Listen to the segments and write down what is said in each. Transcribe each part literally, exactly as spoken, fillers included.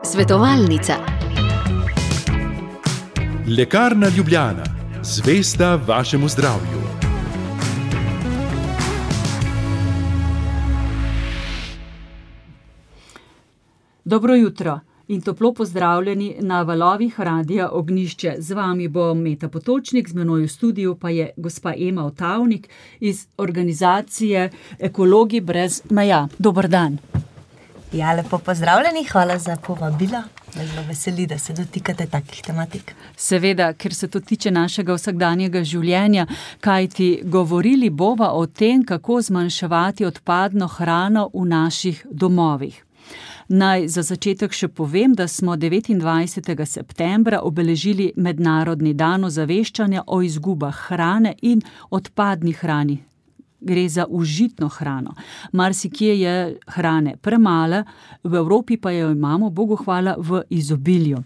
Svetovalnica. Lekarna Ljubljana, zvesta vašemu zdravju. Dobro jutro in toplo pozdravljeni na valovih Radia Ognjišče. Z vami bo Meta Potočnik, z menoj v studiu pa je gospa Ema Otavnik iz organizacije Ekologi brez meja. Dober dan. Ja, lepo pozdravljeni, hvala za povabilo. Me zelo veseli, da se dotikate takih tematik. Seveda, ker se to tiče našega vsakdanjega življenja, kajti govorili bova o tem, kako zmanjševati odpadno hrano v naših domovih. Naj za začetek še povem, da smo devetindvajsetega septembra obeležili Mednarodni dan ozaveščanja o izgubah hrane in odpadni hrani. Gre za užitno hrano. Marsikje je hrane premalo, v Evropi pa jo imamo, Bogu hvala, v izobilju.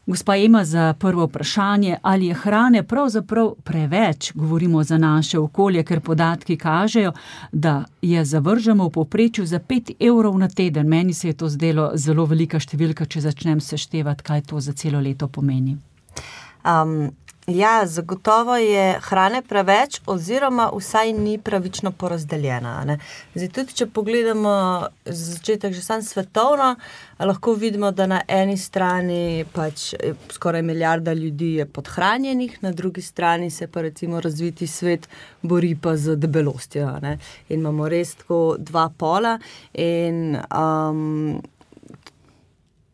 Gospa Ema, za prvo vprašanje, ali je hrane pravzaprav preveč, govorimo za naše okolje, ker podatki kažejo, da je zavržemo v povprečju za pet evrov na teden. Meni se je to zdelo zelo velika številka, če začnem seštevati, kaj to za celo leto pomeni. Um, ja, zagotovo je hrane preveč oziroma vsaj ni pravično porazdeljena. Ne? Zdaj, tudi če pogledamo za začetek že sam svetovno, lahko vidimo, da na eni strani pač skoraj milijarda ljudi je podhranjenih, na drugi strani se pa recimo razviti svet bori pa z debelostjo. Ne? In imamo res tako dva pola in um,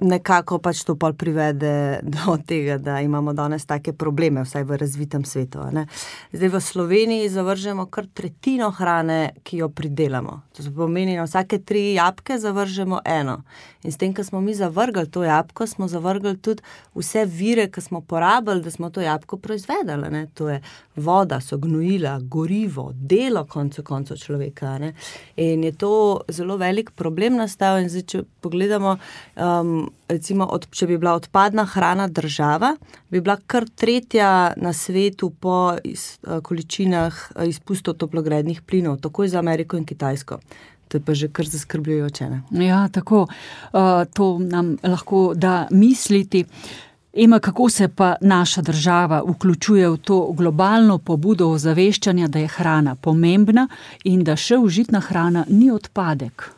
nekako pač to pol privede do tega, da imamo danes take probleme, vsaj v razvitem svetu. Ne? Zdaj v Sloveniji zavržemo kar tretjino hrane, ki jo pridelamo. To se pomeni, na vsake tri jabolke zavržemo eno. In s tem, ko smo mi zavrgli to jabolko, smo zavrgli tudi vse vire, ki smo porabili, da smo to jabolko proizvedali. Ne? To je voda, so gnojila, gorivo, delo koncu koncev človeka. Ne? In je to zelo velik problem nastal. In zdaj, če pogledamo, um, recimo, od, če bi bila odpadna hrana država, bi bila kar tretja na svetu po iz, količinah izpustov toplogrednih plinov, takoj za Ameriko in Kitajsko. To je pa že kar zaskrbljujoče, ne? Ja, tako. Uh, to nam lahko da misliti. Ema, kako se pa naša država vključuje v to globalno pobudo ozaveščanja, da je hrana pomembna in da še užitna hrana ni odpadek?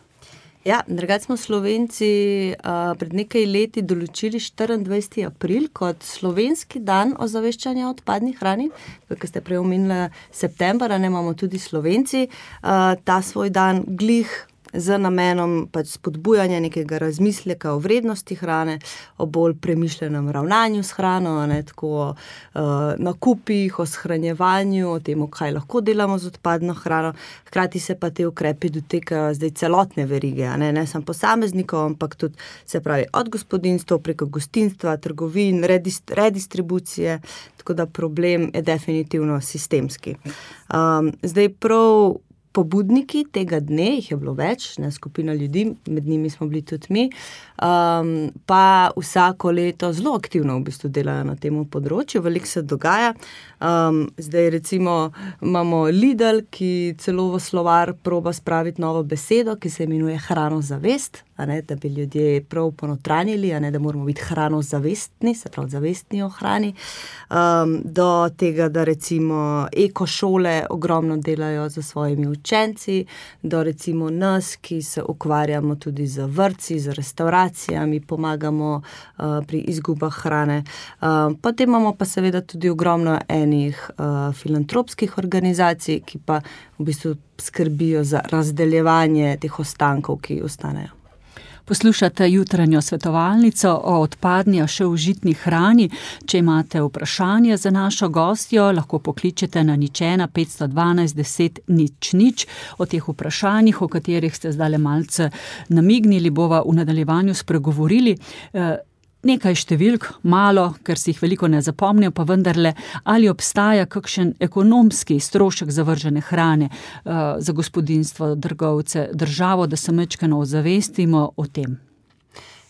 Ja, drugače smo Slovenci uh, pred nekaj leti določili štiriindvajseti april kot slovenski dan ozaveščanja o odpadni hrani. Ker ste prej omenili september, ne, imamo tudi Slovenci uh, ta svoj dan glih z namenom pač spodbujanja nekega razmisleka o vrednosti hrane, o bolj premišljenem ravnanju s hrano, ne, tako o uh, nakupih, o shranjevanju, o tem, kaj lahko delamo z odpadno hrano. Hkrati se pa te ukrepi dotekajo zdaj celotne verige, ne, ne samo posameznikov, ampak tudi, se pravi, od gospodinjstva preko gostinstva, trgovin, redist, redistribucije, tako da problem je definitivno sistemski. Um, zdaj prav pobudniki tega dne, jih je bilo več, ne, skupina ljudi, med njimi smo bili tudi mi, um, pa vsako leto zelo aktivno v bistvu delajo na tem področju, veliko se dogaja. Um, zdaj recimo imamo Lidl, ki celo v slovar proba spraviti novo besedo, ki se imenuje hranozavest, a ne, da bi ljudje prav ponotranjili, a ne, da moramo biti hranozavestni, se pravi zavestni o hrani, um, do tega, da recimo ekošole ogromno delajo za svojimi učenci, do recimo nas, ki se ukvarjamo tudi z vrtci, z restauracijami, pomagamo uh, pri izgubah hrane. Um, potem imamo pa seveda tudi ogromno enih uh, filantropskih organizacij, ki pa v bistvu skrbijo za razdeljevanje teh ostankov, ki ostanejo. Poslušate jutranjo svetovalnico o odpadni, a še užitni hrani. Če imate vprašanje za našo gostjo, lahko pokličete na nič ena petsto dvanajst deset nič nič. O teh vprašanjih, o katerih ste zdaj malce namignili, bova v nadaljevanju spregovorili. Nekaj številk, malo, ker si jih veliko ne zapomnijo, pa vendarle, ali obstaja kakšen ekonomski strošek zavržene hrane uh, za gospodinjstvo, trgovce, državo, da se majčkeno ozavestimo o tem?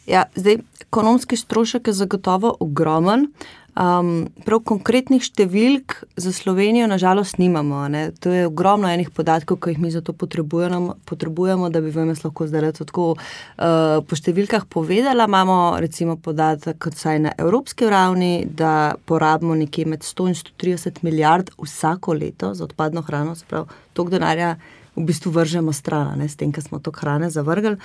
Ja, zdaj, ekonomski strošek je zagotovo ogromen. Um, prav konkretnih številk za Slovenijo nažalost nimamo. Ne? To je ogromno enih podatkov, ki jih mi za to potrebujemo, potrebujemo da bi vam jaz lahko zdaj tako uh, po številkah povedala. Imamo recimo podatek, vsaj na evropski ravni, da porabimo nekje med sto in sto trideset milijard vsako leto za odpadno hrano, se pravi, toliko denarja v bistvu vržemo stran, ne, s tem, ker smo to hrane zavrgli.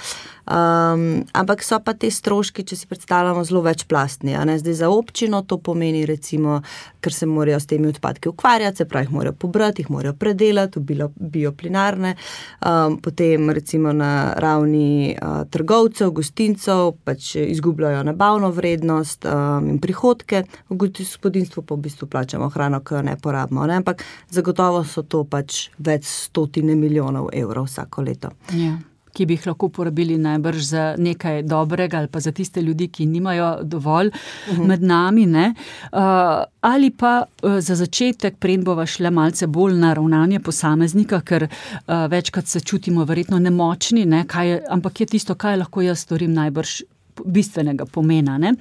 Um, ampak so pa te stroški, če si predstavljamo, zelo večplastni. A ne. Zdaj za občino to pomeni recimo, ker se morajo s temi odpadki ukvarjati, se pravi, jih morajo pobrati, jih morajo predelati v bioplinarne, um, potem recimo na ravni uh, trgovcev, gostincev, pač izgubljajo nabavno vrednost um, in prihodke, v gospodinstvu pa v bistvu plačamo hrano, ki jo ne porabimo. Ne. Ampak zagotovo so to pač več stotine milijonov evrov vsako leto. Ja, ki bi jih lahko porabili najbrž za nekaj dobrega ali pa za tiste ljudi, ki nimajo dovolj uh-huh. med nami, ne? Uh, ali pa uh, za začetek, preden bova šle malce bolj na ravnanje posameznika, ker uh, večkrat se čutimo verjetno nemočni, ne? Kaj je, ampak je tisto, kaj lahko jaz storim najbrž bistvenega pomena. Ne?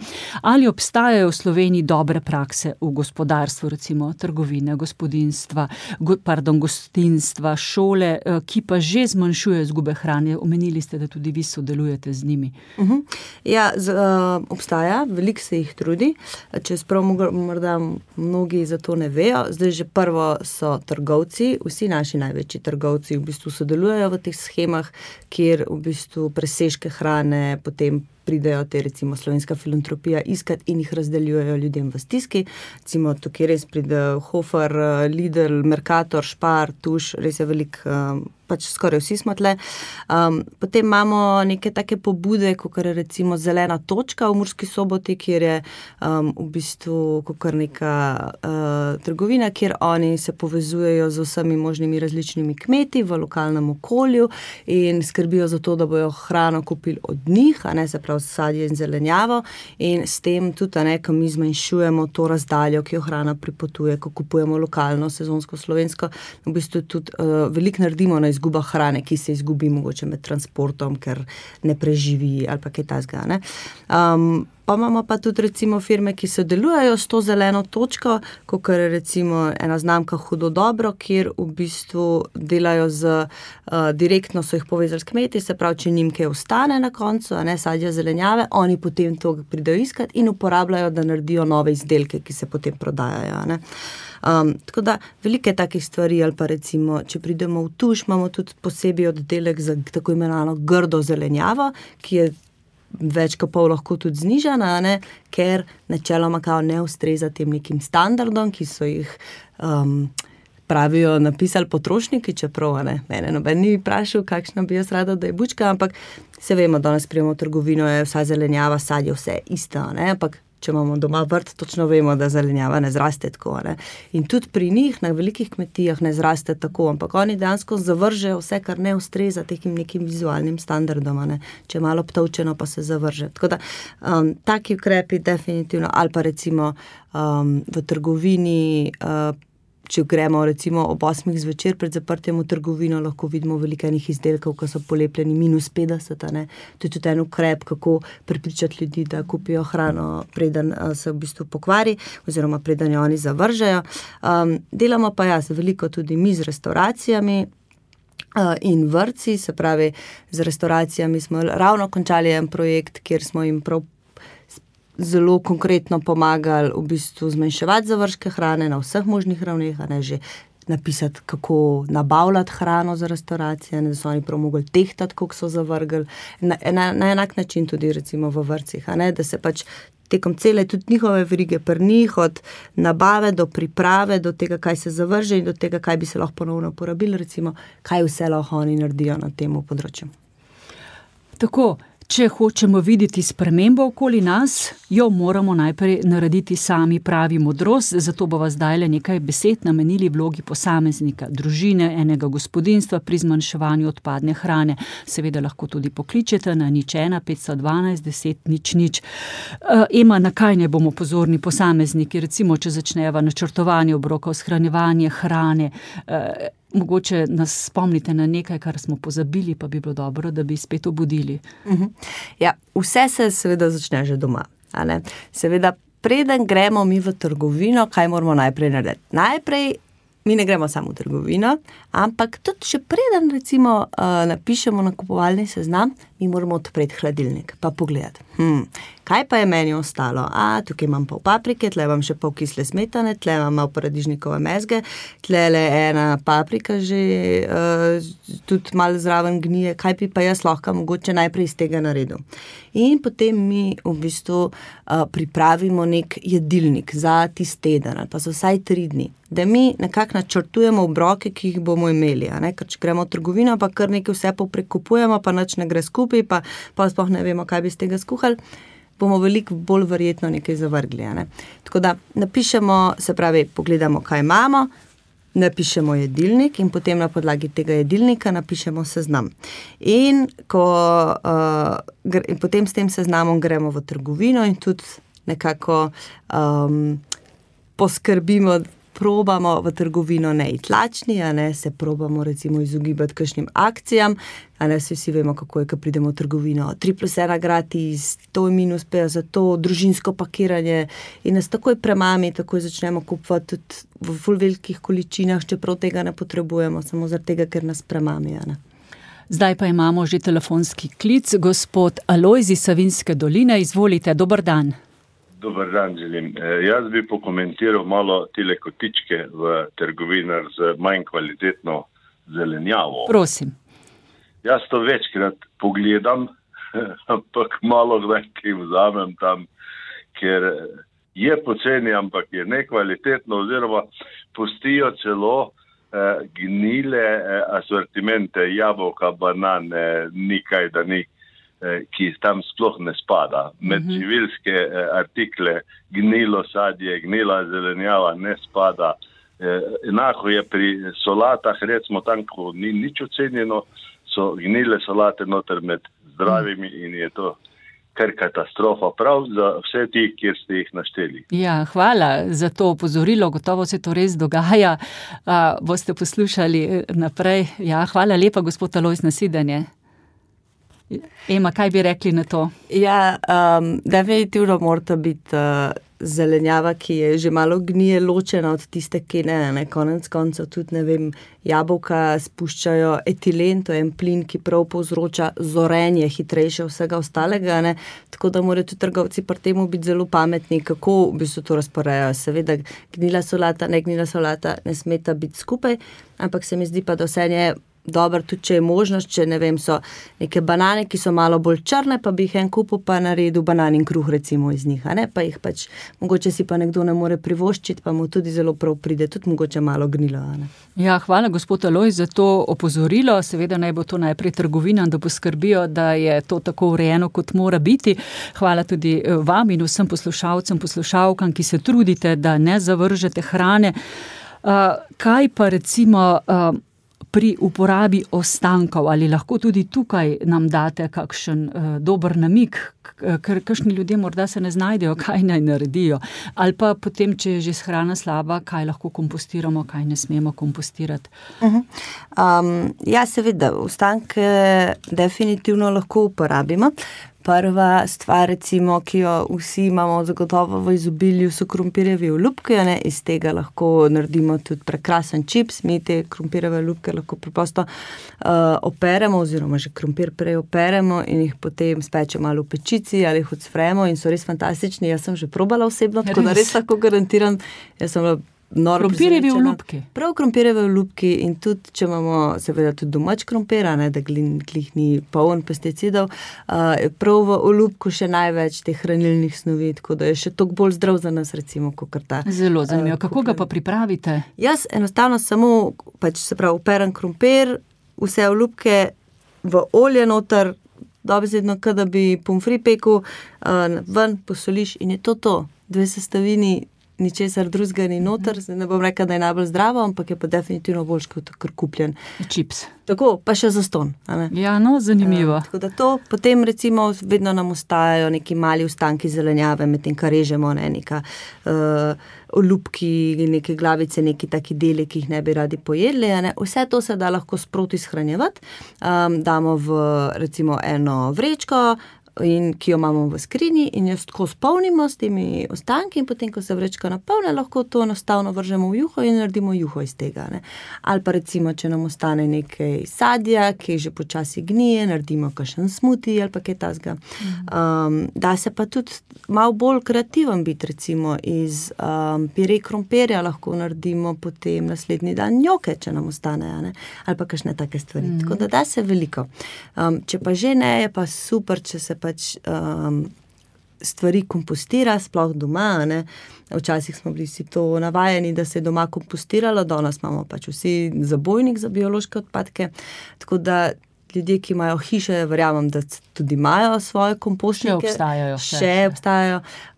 Ali obstajajo v Sloveniji dobre prakse v gospodarstvu, recimo trgovine, gospodinstva, go, pardon, gostinstva, šole, ki pa že zmanjšuje izgube hrane. Omenili ste, da tudi vi sodelujete z njimi. Uh-huh. Ja, z, uh, obstaja, veliko se jih trudi. Če sprav morda mnogi za to ne vejo, zdaj že prvo so trgovci, vsi naši največji trgovci v bistvu sodelujejo v teh schemah, kjer v bistvu presežke hrane potem pridejo te recimo Slovenska filantropija iskat in jih razdeljujejo ljudem v stiski. Recimo tukaj res pride Hofer, Lidl, Mercator, Spar, Tuš, res je velik, pač skoraj vsi smo tle. Um, potem imamo neke take pobude, kot je recimo Zelena točka v Murski Soboti, kjer je um, v bistvu kot neka uh, trgovina, kjer oni se povezujejo z vsemi možnimi različnimi kmeti v lokalnem okolju in skrbijo za to, da bojo hrano kupili od njih, a ne, se pravi sadje in zelenjavo, in s tem tudi, a ne, ko mi zmanjšujemo to razdaljo, ki jo hrana pripotuje, ko kupujemo lokalno, sezonsko, slovensko, v bistvu tudi uh, veliko naredimo na izguba hrane, ki se izgubi mogoče med transportom, ker ne preživi ali pa kaj takega, ne. Um, pa imamo pa tudi recimo firme, ki sodelujejo s to zeleno točko, kot je recimo ena znamka Hudo dobro, kjer v bistvu delajo z, uh, direktno so jih povezali s kmeti, se pravi, če njim kaj ostane na koncu, a ne, sadja zelenjave, oni potem to pridejo iskat in uporabljajo, da naredijo nove izdelke, ki se potem prodajajo, ne. Um, tako da velike takih stvari, ali pa recimo, če pridemo v Tuš, imamo tudi posebej oddelek za tako imenovano grdo zelenjavo, ki je več kot pol lahko tudi znižana, ne, ker načeloma kao ne ustreza tem nekim standardom, ki so jih um, pravijo napisali potrošniki, čeprav, ne, mene noben ni vprašal, kakšna bi jaz rada, da je bučka, ampak se vemo, danes prijemo v trgovino, je vsa zelenjava, sadje, vse isto, ne, ampak če imamo doma vrt, točno vemo, da zelenjava ne zraste tako, ne. In tudi pri njih na velikih kmetijah ne zraste tako, ampak oni dejansko zavržejo vse, kar ne ustreza tekim nekim vizualnim standardom, ne. Če je malo obtovčeno, pa se zavrže. Tako da, um, taki ukrepi definitivno, ali pa recimo um, v trgovini, uh, če gremo recimo ob osmih zvečer pred zaprtjem v trgovino, lahko vidimo veliko enih izdelkov, ki so polepljeni minus petdeset, ne. To je tudi en ukrep, kako prepričati ljudi, da kupijo hrano, preden se v bistvu pokvari, oziroma preden jo oni zavržejo. Um, delamo pa jaz veliko tudi mi z restauracijami uh, in vrtci, se pravi, z restauracijami smo ravno končali en projekt, kjer smo jim prav zelo konkretno pomagali v bistvu zmanjševati zavržke hrane na vseh možnih ravneh, a ne, že napisati, kako nabavljati hrano za restauracije, ne, da so oni prav mogli tehtati, koliko so zavrgli. Na, na, na enak način tudi recimo v vrtcih, a ne, da se pač tekom cele tudi njihove verige pri njih, od nabave do priprave, do tega, kaj se zavrže in do tega, kaj bi se lahko ponovno porabili, recimo, kaj vse lahko oni naredijo na tem področju. Tako, če hočemo videti spremembo okoli nas, jo moramo najprej narediti sami, pravi modrost, zato bova zdaj le nekaj besed namenili vlogi posameznika, družine, enega gospodinjstva pri zmanjševanju odpadne hrane. Seveda lahko tudi pokličete na nič ena petsto dvanajst deset nič nič. Ema, na kaj ne bomo pozorni posamezniki, recimo, če začneva načrtovanje obrokov, shranjevanje hrane, mogoče nas spomnite na nekaj, kar smo pozabili, pa bi bilo dobro, da bi spet obudili. Uh-huh. Ja, vse se seveda začne že doma, a ne. Seveda preden gremo mi v trgovino, kaj moramo najprej narediti? Najprej mi ne gremo samo v trgovino, ampak tudi še preden recimo uh, napišemo nakupovalni seznam, mi moramo odpreti hladilnik pa pogledati, hm, kaj pa je meni ostalo? A, tukaj imam pol paprike, tle imam še pol kisle smetane, tle imam malo paradižnikove mezge, tle le ena paprika že uh, tudi malo zraven gnije, kaj bi pa jaz lahko mogoče najprej iz tega naredil. In potem mi v bistvu uh, pripravimo nek jedilnik za tisti teden, pa so vsaj tri dni, da mi nekako načrtujemo obroke, ki jih bomo imeli, a ne? Ker če gremo v trgovino, pa kar nekaj vse poprekupujemo, pa nič ne gre skupaj, pa, pa sploh ne vemo, kaj bi z tega skuhali, bomo veliko bolj verjetno nekaj zavrgli. A ne? Tako da napišemo, se pravi, pogledamo, kaj imamo, napišemo jedilnik in potem na podlagi tega jedilnika napišemo seznam. In, ko, uh, gre, in potem s tem seznamom gremo v trgovino in tudi nekako um, poskrbimo, probamo v trgovino ne iti lačni, a ne, se probamo recimo izogibati kakšnim akcijam, a ne, vsi vemo, kako je, ko pridemo v trgovino, tri plus ena gratis, to je minus pe za to, družinsko pakiranje in nas takoj premami, takoj začnemo kupovati tudi v ful velikih količinah, čeprav tega ne potrebujemo, samo zaradi tega, ker nas premami, a ne. Zdaj pa imamo že telefonski klic, gospod Alojz iz Savinjske doline, izvolite, dober dan. Dobar dan želim. E, jaz bi pokomentiral malo tile kotičke v trgovinah z manj kvalitetno zelenjavo. Prosim. Jaz to večkrat pogledam, ampak malo kdaj kaj vzamem tam, ker je poceni, ampak je nekvalitetno, oziroma pustijo celo eh, gnile eh, asortimente, jabolka, banane, nikaj da ni, ki tam sploh ne spada. Med uh-huh. živilske eh, artikle gnilo sadje, gnila zelenjava ne spada. Eh, enako je pri solatah, recimo tam, ko ni nič ocenjeno, so gnile solate noter med zdravimi uh-huh. in je to kar katastrofa, prav za vse ti, kjer ste jih našteli. Ja, hvala za to opozorilo, gotovo se to res dogaja. A, boste poslušali naprej. Ja, hvala lepa, gospod Alojz, nasvidenje. Ema, kaj bi rekli na to? Ja, um, definitivno mora biti uh, zelenjava, ki je že malo gnije, ločena od tiste, ki ne, ne, konec koncev tudi, ne vem, jabolka spuščajo etilen, to je en plin, ki prav povzroča zorenje, hitrejše vsega ostalega, ne, tako da morajo tudi trgovci pri temu biti zelo pametni, kako v bistvu to razporejajo. Seveda, gnila solata, ne gnila solata ne smeta biti skupaj, ampak se mi zdi pa, da vse je dobro, tudi če je možnost, če ne vem, so neke banane, ki so malo bolj črne, pa bi jih en kupil pa naredil bananin kruh recimo iz njih, a ne, pa jih pač, mogoče si pa nekdo ne more privoščiti, pa mu tudi zelo prav pride, tudi mogoče malo gnilo, a ne. Ja, hvala gospod Alojz za to opozorilo, seveda naj bo to najprej trgovinam, da poskrbijo, da je to tako urejeno, kot mora biti. Hvala tudi vam in vsem poslušalcem, poslušalkam, ki se trudite, da ne zavržete hrane. Uh, kaj pa recimo uh, pri uporabi ostankov, ali lahko tudi tukaj nam date kakšen uh, dober namig, ker kakšni ljudje morda se ne znajdejo, kaj naj naredijo, ali pa potem, če je že hrana slaba, kaj lahko kompostiramo, kaj ne smemo kompostirati. Uh-huh. Um, ja, seveda, ostanke definitivno lahko uporabimo. Prva stvar, recimo, ki jo vsi imamo zagotovo v izobilju, so krompirjevi olupki, ne? Iz tega lahko naredimo tudi prekrasen čips, mi te krompirjeve olupke lahko preprosto uh, operemo, oziroma že krompir prej operemo in jih potem spečemo ali v pečici ali jih odsfremo in so res fantastični. Jaz sem že probala osebno, tako da res lahko garantiram, jaz sem krompirjevi olupki. Prav krompirjevi olupki in tudi, če imamo seveda tudi domač krompir, ne, da glih ni poln pesticidov, uh, prav v olupku še največ teh hranilnih snovi, tako da je še toliko bolj zdrav za nas, recimo, kakor ta. Zelo zanimivo. Uh, Kako ga pa pripravite? Jaz enostavno samo, pač se pravi, operam krompir, vse olupke v olje noter, dobesedno, kada bi pomfri pekel, uh, ven posoliš in je to to. Dve sestavini, ničesar drugega ni noter, ne bom rekla, da je najbolj zdravo, ampak je pa definitivno boljš kot kar kupljen. Čips. Tako, pa še zaston. Ja, no, zanimivo. Uh, tako da to, potem recimo vedno nam ostajajo neki mali ostanki zelenjave, medtem kar režemo, ne, neka uh, olupki, neke glavice, neki taki deli, ki jih ne bi radi pojedli, ne. Vse to se da lahko sproti shranjevati. Um, damo v recimo eno vrečko, in ki jo imamo v skrinji in jo tako spolnimo s temi ostanki in potem, ko se vrečka napolne, lahko to enostavno vržemo v juho in naredimo juho iz tega. Ne. Ali pa recimo, če nam ostane nekaj sadja, ki že počasi gnije, naredimo kakšen smuti ali pa kaj tasga. Um, da se pa tudi malo bolj kreativen biti, recimo iz um, pire krompirja lahko naredimo potem naslednji dan njoke, če nam ostane, ne. Ali pa kakšne take stvari. Mm. Tako da da se veliko. Um, če pa že ne, je pa super, če se pač um, stvari kompostira, sploh doma, ne. Včasih smo bili vsi to navajeni, da se je doma kompostiralo, danes imamo pač vsi zabojnik za biološke odpadke, tako da ljudje, ki imajo hiše, verjamem, da tudi imajo svoje kompostnike. Še obstajajo. Še, še obstajajo.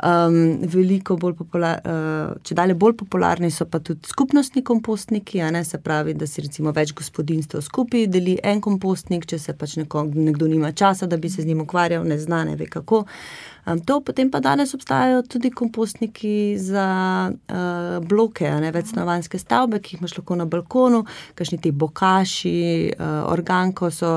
Um, veliko bolj popular, uh, če dalje bolj popularni so pa tudi skupnostni kompostniki, a ne, se pravi, da si recimo več gospodinjstev skupaj deli en kompostnik, če se pač neko, nekdo nima časa, da bi se z njim ukvarjal, ne zna, ne ve kako. Um, to potem pa danes obstajajo tudi kompostniki za uh, bloke, a ne, večstanovanjske stavbe, ki jih imaš lahko na balkonu, kakšni ti bokaši, uh, organko so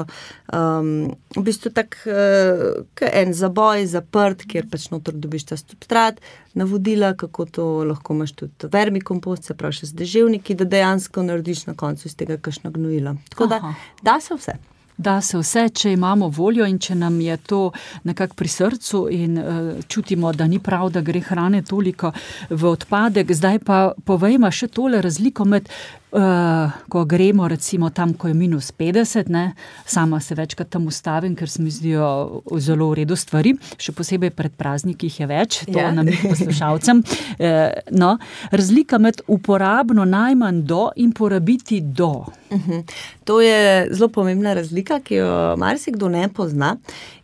um, v bistvu tak uh, en zaboj zaprt, kjer pač notor dobiš ta substrat, navodila, kako to lahko imaš tudi vermikompost, se pravi še z deževniki, da dejansko narediš na koncu iz tega kakšno gnojilo. Tako da, da se vse. Da se vse, če imamo voljo in če nam je to nekako pri srcu in uh, čutimo, da ni prav, da gre hrane toliko v odpadek. Zdaj pa povejmo še tole razliko med Uh, ko gremo recimo tam, ko je minus petdeset, ne, sama se večkrat tam ustavim, ker se mi zdijo zelo v redu stvari, še posebej pred prazniki jih je več, to yeah. nam poslušalcem. Uh, no, razlika med uporabno najmanj do in porabiti do. Uh-huh. To je zelo pomembna razlika, ki jo marsikdo ne pozna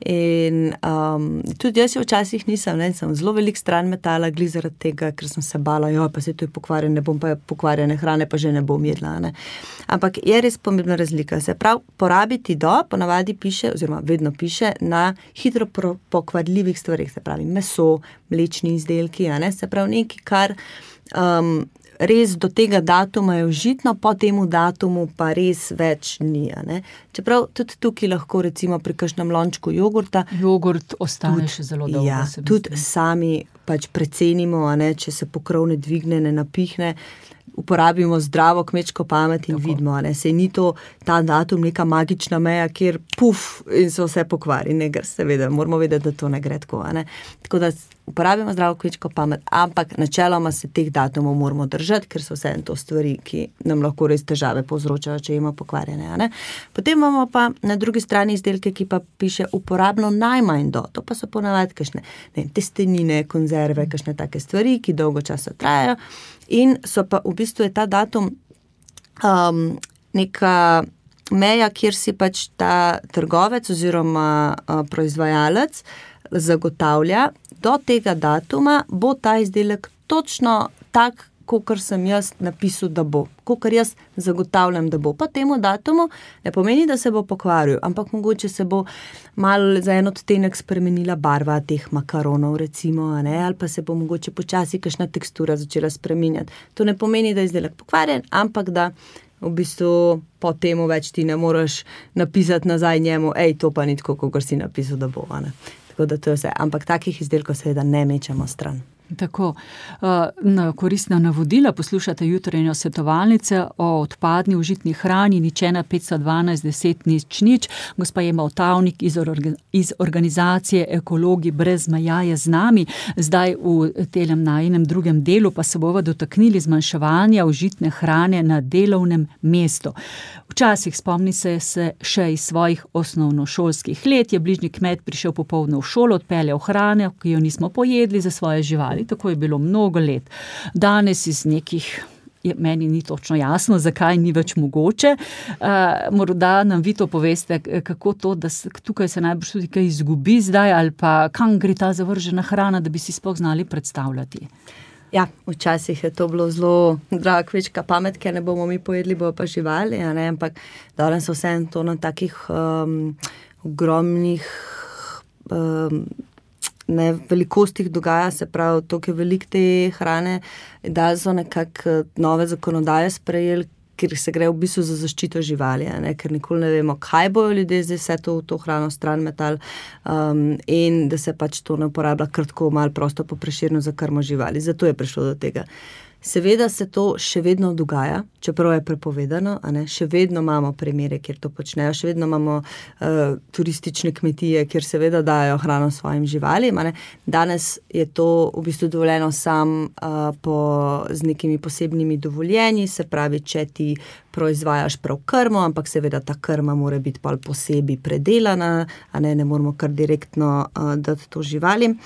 in um, tudi jaz jo včasih nisem, ne, sem zelo velik stran metala glih zaradi tega, ker sem se bala, jo, pa se to je pokvarjene, ne bom pa pokvarjene hrane, pa že ne bom jedla, ne. Ampak je res pomembna razlika. Se pravi, porabiti do, ponavadi piše, oziroma vedno piše, na hitro pokvarljivih stvarih, se pravi meso, mlečni izdelki, a ne, se pravi nekaj, kar um, res do tega datuma je užitno, po temu datumu pa res več ni, a ne. Čeprav tudi tukaj lahko recimo pri kakšnem lončku jogurta. Jogurt ostane tudi, še zelo dolgo. Ja, tudi sami pač precenimo, a ne, če se pokrov ne dvigne, ne napihne, uporabimo zdravo kmečko pamet in tako vidimo, ne, sej ni to ta datum neka magična meja, kjer puf in se vse pokvari, ne, seveda, moramo vedeti, da to ne gre tako, a ne. Tako da uporabimo zdravo kmečko pamet, ampak načeloma se teh datumov moramo držati, ker so vse to stvari, ki nam lahko res težave povzročajo, če imamo pokvarjene, a ne. Potem imamo pa na drugi strani izdelke, ki pa piše uporabno najmanj do, to pa so ponavadi kakšne, ne, testenine, konzerve, kakšne take stvari, ki dolgo časa trajajo. In so pa v bistvu je ta datum um, neka meja, kjer si pač ta trgovec oziroma uh, proizvajalec zagotavlja, do tega datuma bo ta izdelek točno tak, kakor sem jaz napisal, da bo. Kakor jaz zagotavljam, da bo. Pa temu datumu ne pomeni, da se bo pokvaril, ampak mogoče se bo malo za en odtenek spremenila barva teh makaronov, recimo, a ne, ali pa se bo mogoče počasi kakšna tekstura začela spreminjati. To ne pomeni, da je izdelek pokvarjen, ampak da v bistvu po temu več ti ne moraš napisati nazaj njemu, ej, to pa ni tako, kakor si napisal, da bo, a ne. Tako da to je vse. Ampak takih izdelkov seveda ne mečemo stran. Tako, na koristna navodila poslušate jutranjo svetovalnice o odpadni užitni hrani, nič ena petsto dvanajst deset nič nič. Gospa Ema Otavnik iz, orga, iz organizacije Ekologi brez meja je z nami. Zdaj v telem najinem drugem delu pa se bova dotaknili zmanjševanja užitne hrane na delovnem mestu. Včasih, spomni se, se še iz svojih osnovnošolskih let, je bližnji kmet prišel popoldne v šolo, odpeljal hrane, ki jo nismo pojedli za svoje živali. Tako je bilo mnogo let. Danes iz nekih, meni ni točno jasno, zakaj ni več mogoče. Uh, morda nam vi to poveste, kako to, da se, tukaj se najbrž tudi kaj izgubi zdaj, ali pa kam gre ta zavržena hrana, da bi si sploh znali predstavljati. Ja, včasih je to bilo zelo draga kmečka pamet, ker ne bomo mi pojedli, bojo pa živali, a ne, ampak danes so vse to na takih um, ogromnih um, ne, velikostih dogaja, se pravi, toliko je veliko te hrane, da so nekako nove zakonodaje sprejeli, ker se gre v bistvu za zaščito živali, ne, ker nikoli ne vemo, kaj bojo ljudje zdaj vse to, to hrano stran metal um, in da se pač to ne uporablja kratko malo prosto po Prešernu za krmo živali. Zato je prišlo do tega. Seveda se to še vedno dogaja, čeprav je prepovedano, a ne, še vedno imamo primere, kjer to počnejo, še vedno imamo uh, turistične kmetije, kjer seveda dajo hrano svojim živalim, a ne. Danes je to v bistvu dovoljeno sam uh, po, z nekimi posebnimi dovoljenji, se pravi, če ti proizvajaš prav krmo, ampak seveda ta krma mora biti pa posebej predelana, a ne, ne moramo kar direktno uh, dati to živalim.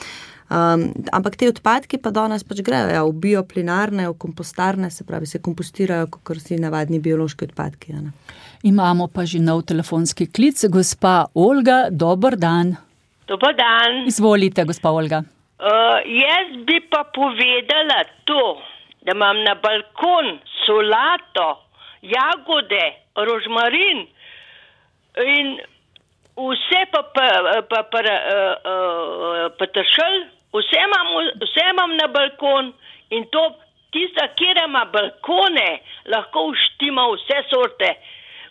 Um, ampak te odpadki pa danes pač grejo, ja, v bioplinarne, v kompostarne, se pravi, se kompostirajo, kot si navadni biološki odpadki. Ja, imamo pa že nov telefonski klic. Gospa Olga, dober dan. Dober dan. Izvolite, gospa Olga. Uh, jaz bi pa povedala to, da imam na balkon solato, jagode, rožmarin in vse pa, pa, pa, pa uh, uh, peteršelj, vse imam, vse imam na balkon in to tista, kjer ima balkone, lahko uštima vse sorte.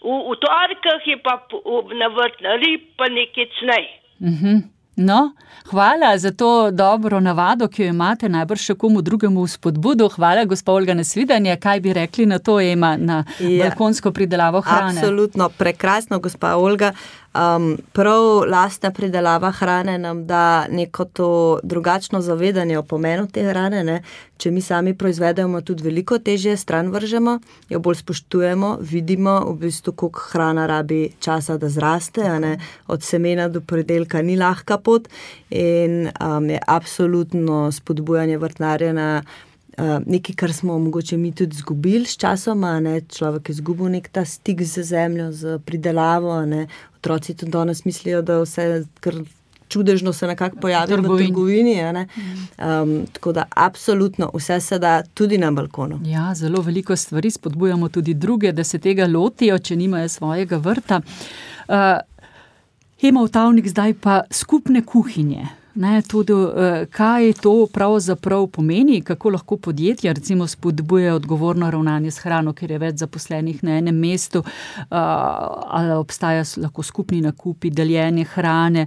V, v torkah je pa v, na vrtnari pa nekaj cnej. Mhm. No, hvala za to dobro navado, ki jo imate, najbrž še komu drugemu v spodbudu. Hvala, gospa Olga, na svidanje. Kaj bi rekli na to, Ema, na ja, balkonsko pridelavo hrane? Absolutno, prekrasno, gospa Olga. Um, prav lastna pridelava hrane nam da neko to drugačno zavedanje o pomenu te hrane, ne. Če mi sami proizvedemo, tudi veliko težje stran vržemo, jo bolj spoštujemo, vidimo v bistvu, koliko hrana rabi časa, da zraste, a ne. Od semena do predelka ni lahka pot in um, je absolutno spodbujanje vrtnarjenja uh, nekaj, kar smo mogoče mi tudi zgubili s časoma, ne. Človek je izgubil nek ta stik z zemljo, z pridelavo, ne. Otroci tudi danes mislijo, da vse kar čudežno se nekako pojavi v trgovini. Ne? Um, tako da absolutno vse se da tudi na balkonu. Ja, zelo veliko stvari, spodbujamo tudi druge, da se tega lotijo, če nimajo svojega vrta. Uh, Ema Vtavnik, zdaj pa skupne kuhinje. Ne, tudi, kaj to pravzaprav pomeni, kako lahko podjetja recimo spodbujajo odgovorno ravnanje s hrano, ker je več zaposlenih na enem mestu, ali obstaja lahko skupni nakupi, deljenje hrane,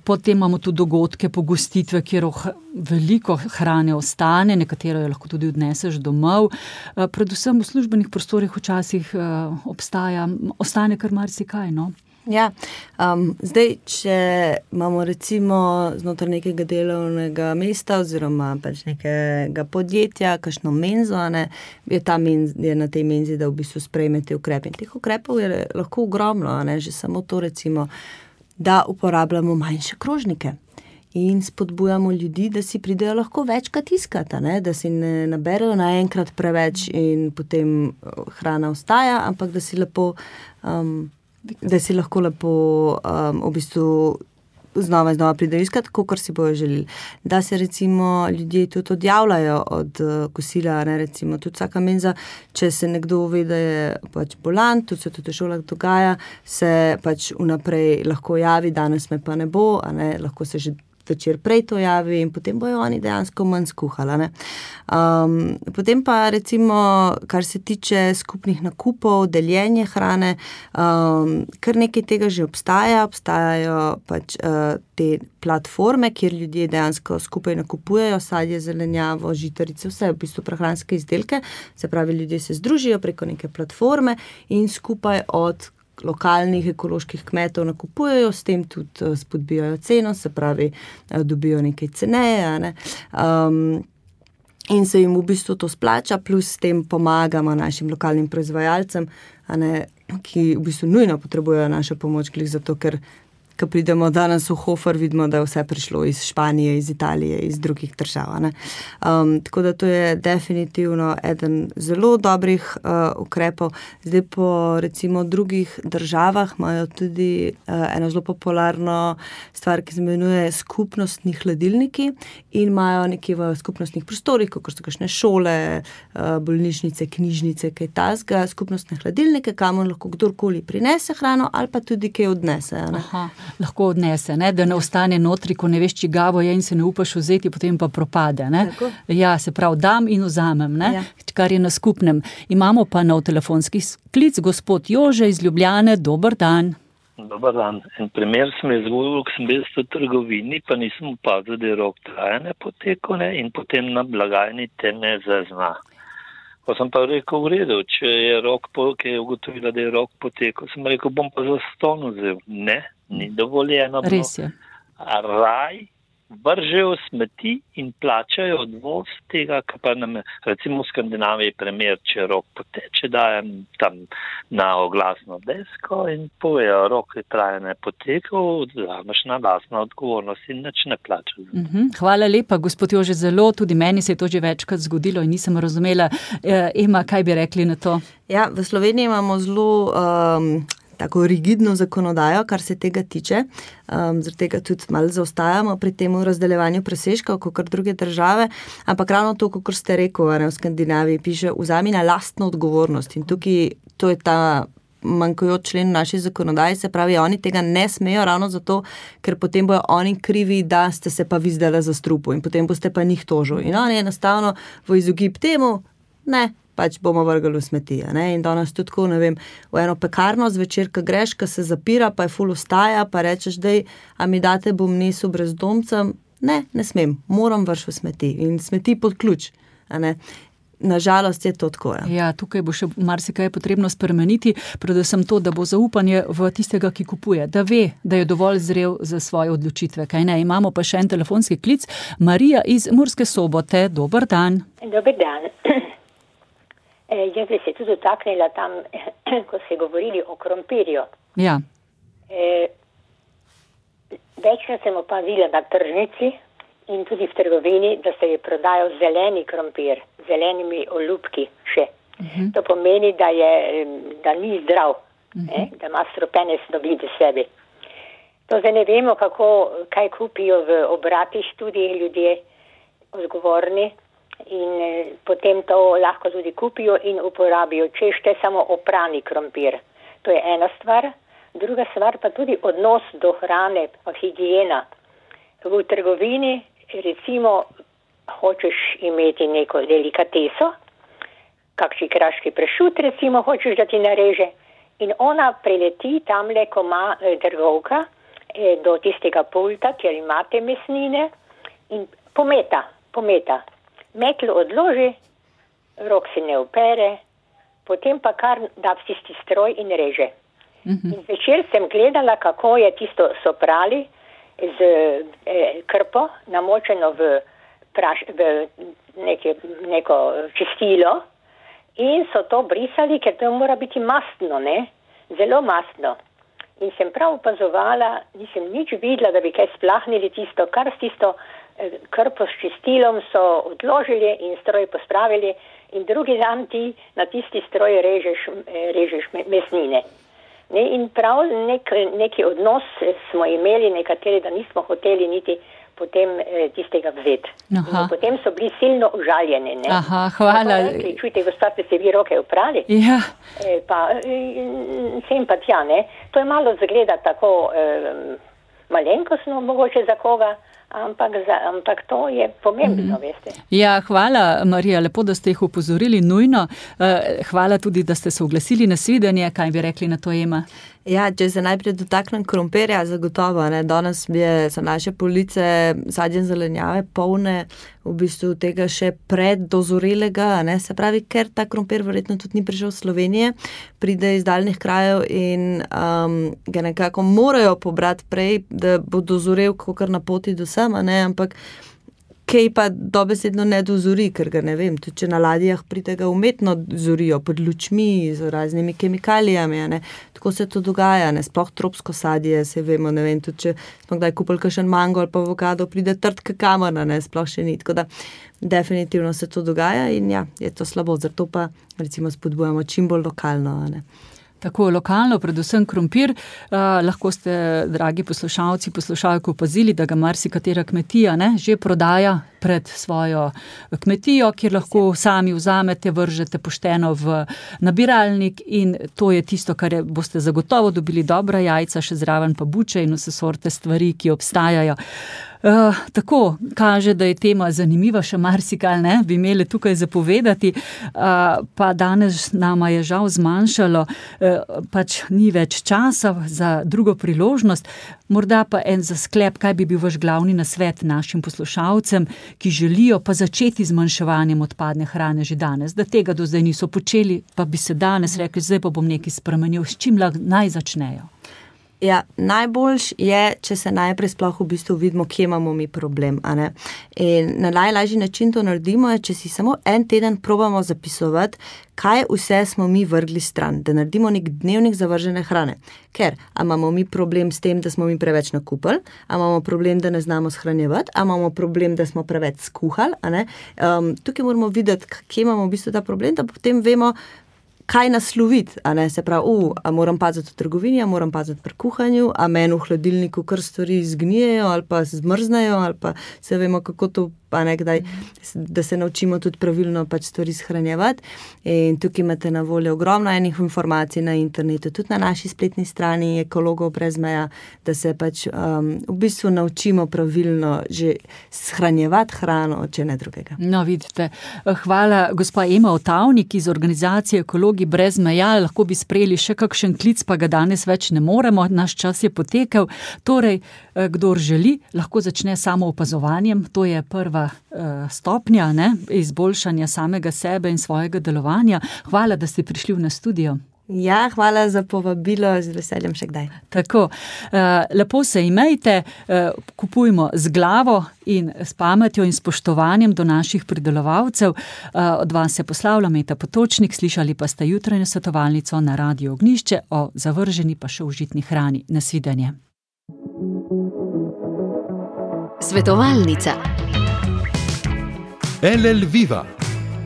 potem imamo tudi dogodke, pogostitve, kjer veliko hrane ostane, nekatero jo lahko tudi odneseš domov, predvsem v službenih prostorih včasih obstaja, ostane kar marsikaj, no. Ja, um, zdaj, če imamo recimo znotraj nekega delovnega mesta oziroma pač nekega podjetja, kakšno menzo, ne, je, ta menz, je na tej menzi, da v bistvu sprejme te ukrepe. In teh ukrepov je lahko ogromno, ne, že samo to recimo, da uporabljamo manjše krožnike in spodbujamo ljudi, da si pridejo lahko večkrat iskati, ne, da si ne naberejo naenkrat preveč in potem hrana ostaja, ampak da si lepo... Um, da si lahko lepo um, v bistvu znova in znova pridejo iskat, kakor si bojo želeli. Da se recimo ljudje tudi odjavljajo od uh, kosila, ne, recimo tudi vsaka menza, če se nekdo ve, da je pač bolan, tudi se tudi v šolah dogaja, se pač vnaprej lahko javi, danes me pa ne bo, a ne, lahko se že večer prej to javi in potem bojo oni dejansko manj skuhala. Ne. Um, potem pa recimo, kar se tiče skupnih nakupov, deljenje hrane, um, kar nekaj tega že obstaja, obstajajo pač uh, te platforme, kjer ljudje dejansko skupaj nakupujejo sadje, zelenjavo, žitarice, vse v bistvu prehranske izdelke, se pravi, ljudje se združijo preko neke platforme in skupaj od lokalnih ekoloških kmetov nakupujejo, s tem tudi spodbijajo ceno, se pravi, dobijo nekaj ceneje, ne. Um, in se jim v bistvu to splača, plus s tem pomagamo našim lokalnim proizvajalcem, a ne, ki v bistvu nujno potrebujejo našo pomoč, glih zato, ker ko pridemo danes v Hofer, vidimo, da je vse prišlo iz Španije, iz Italije, iz drugih držav. Ne? Um, tako da to je definitivno eden zelo dobrih uh, ukrepov. Zdaj po recimo drugih državah imajo tudi uh, eno zelo popularno stvar, ki se imenuje skupnostni hladilniki in imajo nekje v skupnostnih prostorih, kot so kakšne šole, uh, bolnišnice, knjižnice, kaj tasga, skupnostne hladilnike, kamor lahko kdorkoli prinese hrano ali pa tudi kaj odnese. Ne? Aha. lahko odnese, ne? Da ne ostane notri, ko ne veš, čigavo je in se ne upaš vzeti, potem pa propade. Ne? Ja, se pravi, dam in vzamem, ne? Ja. Kar je na skupnem. Imamo pa nov telefonski klic, gospod Jože iz Ljubljane, dober dan. Dobar dan. En primer sem je zgodil, ko sem bil v trgovini, pa nisem opazil, da je rok trajanja potekel, ne, in potem na blagajni te ne zazna. Ko sem pa rekel, v redu, če je rok, ki je ugotovila, da je rok potekel, sem rekel, bom pa za ston vzel. Ne, ni dovoljeno. Res je. A raj vržejo smeti in plačajo odvoz tega, kar pa nam, recimo v Skandinaviji primer, če rok poteče, dajem tam na oglasno desko in povejo, rok je trajanje potekal, vzameš na lastno odgovornost in nič ne plačaš. Uh-huh. Hvala lepa, gospod Jože, zelo, tudi meni se je to že večkrat zgodilo in nisem razumela. E, Ema, kaj bi rekli na to? Ja, v Sloveniji imamo zelo um, tako rigidno zakonodajo, kar se tega tiče. Um, zaradi tega tudi malo zaostajamo pri tem razdeljevanju presežkov, kakor druge države, ampak ravno to, kakor ste rekel, ne, v Skandinaviji piše, vzami na lastno odgovornost in tukaj to je ta manjkajoč člen v naši zakonodaji, se pravi, oni tega ne smejo ravno zato, ker potem bojo oni krivi, da ste se pa vi zdajle zastrupili in potem boste pa njih tožili. In oni enostavno v izogib temu, ne, pač bomo vrgali v smeti. Ne? In danes tudi tako, ne vem, v eno pekarno zvečer, ko greš, ko se zapira, pa je ful vstaja, pa rečeš, dej, a mi date bom nesel brezdomcem? Ne, ne smem, moram vrš v smeti. In smeti pod ključ. A ne? Nažalost je to tako. Ja. Ja, tukaj bo še marsikaj potrebno spremeniti, predvsem to, da bo zaupanje v tistega, ki kupuje, da ve, da je dovolj zrel za svoje odločitve. Kaj ne? Imamo pa še en telefonski klic. Marija iz Murske Sobote, dober dan. Dober dan. E, jaz bi se tudi dotaknila tam, ko ste govorili o krompirju. Ja. E, večkrat sem opazila na tržnici in tudi v trgovini, da se je prodajal zeleni krompir, zelenimi olupki še. Uh-huh. To pomeni, da, je, da ni zdrav, uh-huh. eh, da ima strupene snovi v sebi. To zdaj ne vemo, kako, kaj kupijo v obratih tudi ljudje odgovorni. In eh, potem to lahko tudi kupijo in uporabijo, če šte samo oprani krompir. To je ena stvar. Druga stvar pa tudi odnos do hrane, pa higijena. V trgovini, recimo, hočeš imeti neko delikateso, kakšni kraški pršut, recimo, hočeš, da ti nareže. In ona prileti tamle, ko ima eh, trgovka, eh, do tistega pulta, kjer imate mesnine in pometa, pometa. Metlo odloži, rok si ne opere, potem pa kar da v tisti stroj in reže. Uh-huh. In večer sem gledala, kako je tisto so prali z eh, krpo, namočeno v, praš, v neke, neko čistilo in so to brisali, ker to mora biti mastno, ne? Zelo mastno. In sem prav opazovala, nisem nič videla, da bi kaj splahnili tisto, kar s tisto krpo s čistilom so odložili in stroj pospravili in drugi dan ti na tisti stroj režeš, režeš mesnine. Ne, in prav nek, neki odnos smo imeli nekateri, da nismo hoteli niti potem eh, tistega vzeti. Potem so bili silno užaljeni. Ne? Aha, hvala. Rekli, čujte, gospod, ste vi roke uprali? Ja. E, pa sem pa tja, ne. To je malo zgleda tako eh, malenkostno, mogoče za koga, Ampak, za, ampak to je pomembno, mm. veste. Ja, hvala, Marija, lepo, da ste jih upozorili nujno. Hvala tudi, da ste se oglasili na svidenje. Kaj bi rekli na to, Ema? Ja, če se najprej dotaknem krompirja, zagotovo, ne, danes je, so naše police sadje in zelenjave polne v bistvu tega še preddozorelega, ne, se pravi, ker ta krompir verjetno tudi ni prišel v Slovenije, pride iz daljnih krajev in um, ga nekako morajo pobrati prej, da bo dozorel kakor na poti do sama, ne, ampak kaj pa dobesedno ne dozori, ker ga ne vem, tudi če na ladjah pride ga umetno zorijo pod lučmi z raznimi kemikalijami, ne. Tako se to dogaja, ne, sploh tropsko sadje, se vemo, ne vem, tudi če smo kdaj kupili kakšen mango ali pa avokado, pride trd kakamana, ne, sploh še ni, tako da definitivno se to dogaja in ja, je to slabo, zato pa recimo spodbujamo čim bolj lokalno, ne. Tako lokalno, predvsem krompir, uh, lahko ste, dragi poslušalci, poslušalke, opazili, da ga marsikatera kmetija ne, že prodaja pred svojo kmetijo, kjer lahko sami vzamete, vržete pošteno v nabiralnik in to je tisto, kar je, boste zagotovo dobili dobra jajca, še zraven pa buče in vse sorte stvari, ki obstajajo. Uh, tako kaže, da je tema zanimiva, še marsikaj ne bi imeli tukaj zapovedati, uh, pa danes nama je žal zmanjšalo, uh, pač ni več časa za drugo priložnost. Morda pa en za sklep, kaj bi bil vaš glavni nasvet našim poslušalcem, ki želijo pa začeti z zmanjševanjem odpadne hrane že danes, da tega do zdaj niso počeli, pa bi se danes rekli, zdaj pa bom nekaj spremenil, s čim naj začnejo? Ja, najboljš je, če se najprej sploh v bistvu vidimo, kje imamo mi problem, a ne. In na najlažji način to naredimo je, če si samo en teden probamo zapisovati, kaj vse smo mi vrgli stran, da naredimo nek dnevnik zavržene hrane. Ker, a imamo mi problem s tem, da smo mi preveč nakupili, a imamo problem, da ne znamo shranjevati, a imamo problem, da smo preveč skuhali, a ne. Um, tukaj moramo videti, kje imamo v bistvu ta problem, da potem vemo, kaj nasloviti, a ne, se pravi, uh, a moram paziti v trgovini, a moram paziti pri kuhanju, a meni v hladilniku kar stvari zgnijejo ali pa zmrznejo, ali pa se vemo, kako to, pa nekdaj, da se naučimo tudi pravilno pač stvari shranjevati. In tukaj imate na voljo ogromno enih informacij na internetu, tudi na naši spletni strani Ekologov brez meja, da se pač um, v bistvu naučimo pravilno že shranjevati hrano, če ne drugega. No, vidite. Hvala, gospa Ema Otavnik iz organizacije Ekologi brez meja. Lahko bi sprejeli še kakšen klic, pa ga danes več ne moremo. Naš čas je potekel. Torej, kdor želi, lahko začne samo opazovanjem. To je prva stopnja, ne, izboljšanja samega sebe in svojega delovanja. Hvala, da ste prišli v nas studio. Ja, hvala za povabilo, z veseljem še kdaj. Tako, lepo se imejte, kupujmo z glavo in s pametjo in spoštovanjem do naših pridelovalcev. Od vas se poslavlja Meta Potočnik, slišali pa ste jutranjo svetovalnico na Radiu Ognjišče o zavrženi pa še užitni hrani. Nasvidenje. Svetovalnica. L L Viva,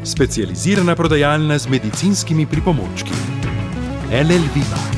specializirana prodajalna z medicinskimi pripomočki. L L Viva.